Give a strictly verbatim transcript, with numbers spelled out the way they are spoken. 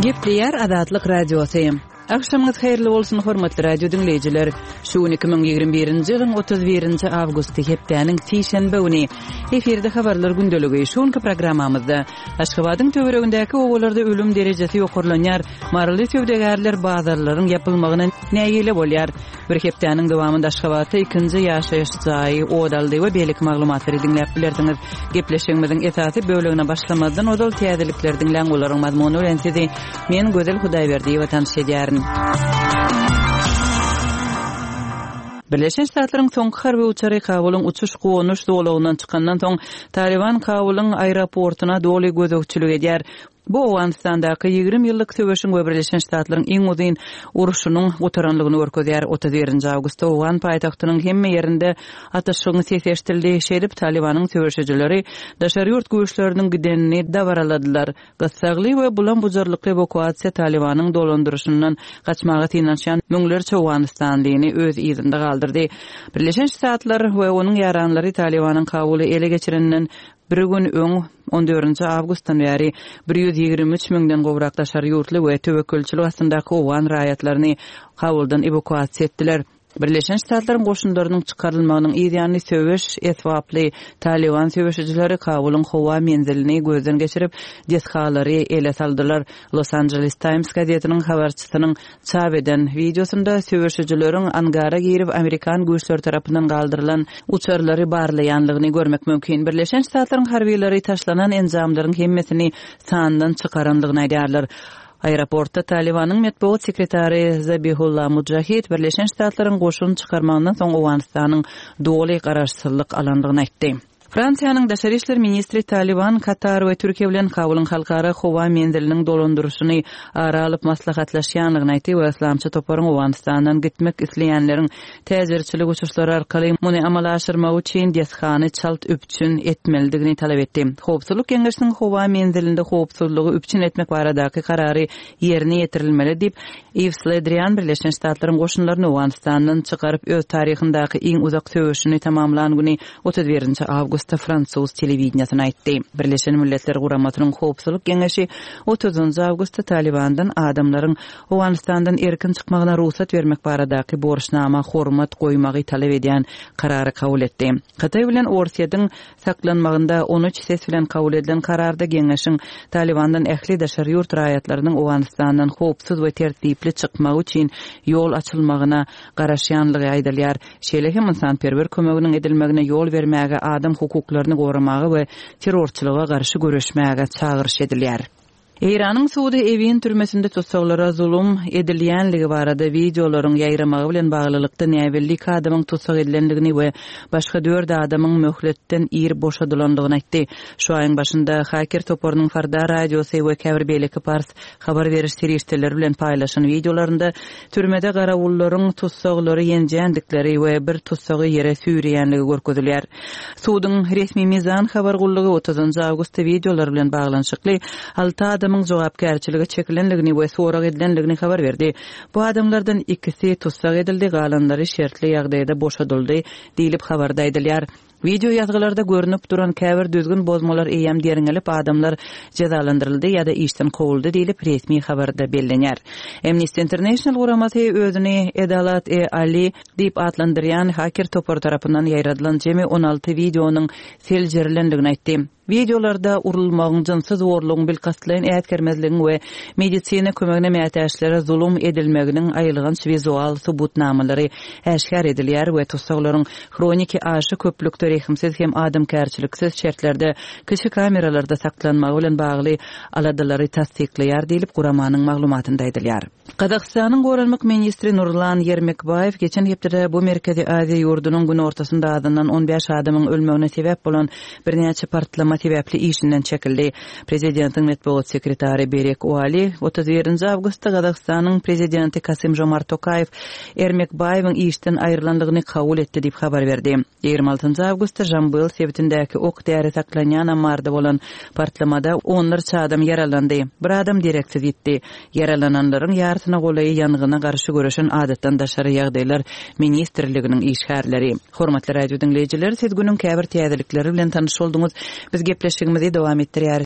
Gepleýär Azatlyk Radiosy. Agşamyňyz haýyrly bolsun, hormatly radio diňleýjiler. Şu gün iki müň ýigrimi birinji ýylyň otuz birinji awgusty, hepdäniň sişenbe güni. Efirde habarlar gündeligi. Şu günki programmamyzda Aşgabadyň töweregindäki obalarda ölüm derejesi ýokarlanýar, maryly söwdagärler bazarlaryň ýapylmagyna nägile bolýar. Bir hepdäniň dowamynda Aşgabatda ikinji ýaşaýyş jaýy ot aldy we beýleki maglumatlary diňläp bilersiňiz. Gepleşigimiziň esasy bölegine başlamazdan ozal täzelikleri diňläň, olaryň mazmuny bilen sizi men Gözel Hudaýberdiýewa tanyş edýärin. Birleşen Ştatlaryň soňky harby uçary Kabulyň uçuş-gonuş zolagyndan çykandan soň, Talyban Kabulyň aeroportuna doly gözegçilik edýär. Bu Owganystandaky ýigrimi ýyllyk söweşiň we Birleşen Ştatlaryň iň uzyn urşunyň gutaranlygyny görkezýär. Otuz birinji awgustda owgan paýtagtynyň hemme ýerinde atyşygyň sesi eşidildi. Şeýdip, Talybanyň söweşijileri daşary ýurt güýçleriniň gidenini dabaraladylar. Gyssagly we bulam-bujarlykly ewakuasiýa Talybanyň dolandyryşyndan gaçmaga synanyşýan müňlerçe owganystanlyny öz yzynda galdyrdy. Birleşen Ştatlar we onuň ýaranlary Talybanyň Kabuly ele geçireninden bir gün öň, on dördünji awgustdan bäri bir ýüz ýigrimi üç müňden gowrak daşary ýurtly we töwekgelçilik astyndaky owgan raýatlaryny Kabuldan ewakuasiýa etdiler. Birleşen Ştatlaryň goşunlarynyň çykarylmagynyň yz ýany söweş esbaply Talyban söweşijileri Kabulyň howa menzilini gözden geçirip, desgalary ele saldylar. Los Angeles Times gazetiniň habarçysynyň çap eden wideosynda söweşijileriň angara girip, amerikan güýçleri tarapyndan galdyrylan uçarlary barlaýanlygyny görmek mümkin. Birleşen Ştatlaryň harbylary taşlanan enjamlaryň hemmesini sandan çykaranlygyny aýdýarlar. Aeroportda Talybanyň metbugat sekretary Zabihullah Mujahid Birleşen Ştatlaryň goşun çykarmagyndan soň Owganystanyň doly garaşsyzlyk alandygyny aýtdy. Fransiýanyň daşary işler ministri Talyban, Katar we Türkiýe bilen Kabulyň halkara howa menziliniň dolandyryşyny ara alyp maslahatlaşýanlygyny aýtdy we yslamçy toparyň Owganystandan gitmek isleýänleriň täjirçilik uçuşlary arkaly muny amala aşyrmagy üçin desgany çalt üpjün etmelidigini talap etdi. Howpsuzlyk geňeşiniň howa menzilinde howpsuzlygy üpjün etmek baradaky karary ýerine ýetirilmeli diýip, Yves Le Drian Birleşen Ştatlaryň goşunlaryny Owganystandan çykaryp öz taryhyndaky iň uzak söweşini tamamlan güni otuz birinji awgustda fransuz telewideniýesine aýtdy. Birleşen Milletler Guramasynyň Howpsuzlyk Geňeşi otuzynjy awgustda Talybandan adamlaryň Owganystandan erkin çykmagyna rugsat bermek baradaky borçnama hormat goýmagy talap edýän karary kabul etdi. Hytaý bilen Orsýetiň saklanmagynda on üç ses bilen kabul edilen kararda geňeşiň Talybandan ähli daşary ýurt raýatlarynyň Owganystandan howpsuz we tertipli çykmagy üçin ýol açylmagyna garaşýanlygy aýdylýar. Şeýle hem ynsanperwer kömeginiň edilmegine ýol bermäge, adam hukuklaryny goramaga we terrorçylyga garşy göreşmäge çagyryş edilýär. Eýranyň sudy Ewin türmesinde tussaglara zulum edilýänligi barada wideolaryň ýaýramagy bilen baglylykda näbelli iki adamyň tussag edilendigini we başga dört adamyň möhletden ir boşadylandygyny aýtdy. Şu aýyň başynda haker toparynyň Farda radiosy we käbir beýleki pars habar beriş serişdeleri bilen paýlaşan wideolarynda türmede garawullaryň tussaglary ýenjändikleri we bir tussagy ýere süýreýänligi görkezilýär. Suduň resmi Mizan habar gullugy otuzynjy awgustda wideolar bilen baglanyşykly alty adamyň jogapkärçilige çekilenligini we sorag edilenligini habar berdi. Bu adamlardan ikisi tussag edildi, galanlary şertli ýagdaýda boşadyldy diýlip habarda aýdylýar. Video ýazgylarda görnüp duran käbir düzgün bozmalar eýýäm derňelip, adamlar jezalandyryldy ýa-da işden kowuldy diýlip resmi habarda bellenýär. Amnesty International guramasy özüni Edalat-e Ali diýip atlandyrýan haker topary tarapyndan ýaýradylan jemi on alty wideonyň seljerilendigini aýtdy. Wideolarda urulmagyň, jynsy zorlugyň, bilkastlaýyn ätgermezligiň we medisina kömegine mätäçlere zulum edilmeginiň aýylganç wizual subutnamalary äşgär edilýär we tussaglaryň hroniki aşa köplükde rehimsiz hem adamkärçiliksiz şertlerde kiçi kameralarda saklanmagy bilen bagly aladalary tassyklaýar diýlip guramanyň maglumatynda aýdylýar. Gazagystanyň goranmak ministri Nurlan Ýermekbaýew geçen hepdede bu Merkezi Aziýa ýurdunyň günortasynda azyndan on bäş adamyň ölmegine sebäp bolan birnäçe partlama sebäpli işinden çekildi. Prezidentiň metbugat sekretary Berek Uali otuz birinji awgustda Gazagystanyň prezidenti Kasym Jomart Tokaýew Ermekbaýewiň işden aýrylandygyny kabul etdi diýip habar berdi. Ýigrimi altynjy awgustda Jambyl sebitindäki ok däri saklanýan ammarda bolan partlamada onlarça adam ýaralandy. Bir adam dereksiz ýitdi. Ýaralananlaryň ýarysyna golaýy ýangyna garşy göreşen adatdan daşary ýagdaýlar ministrliginiň işgärleri. Hormatly radio diňleýjiler, siz günüň käbir täzelikleri bilen tanyş bolduňyz. Biz gepleşigimizi dowam etdirýäris.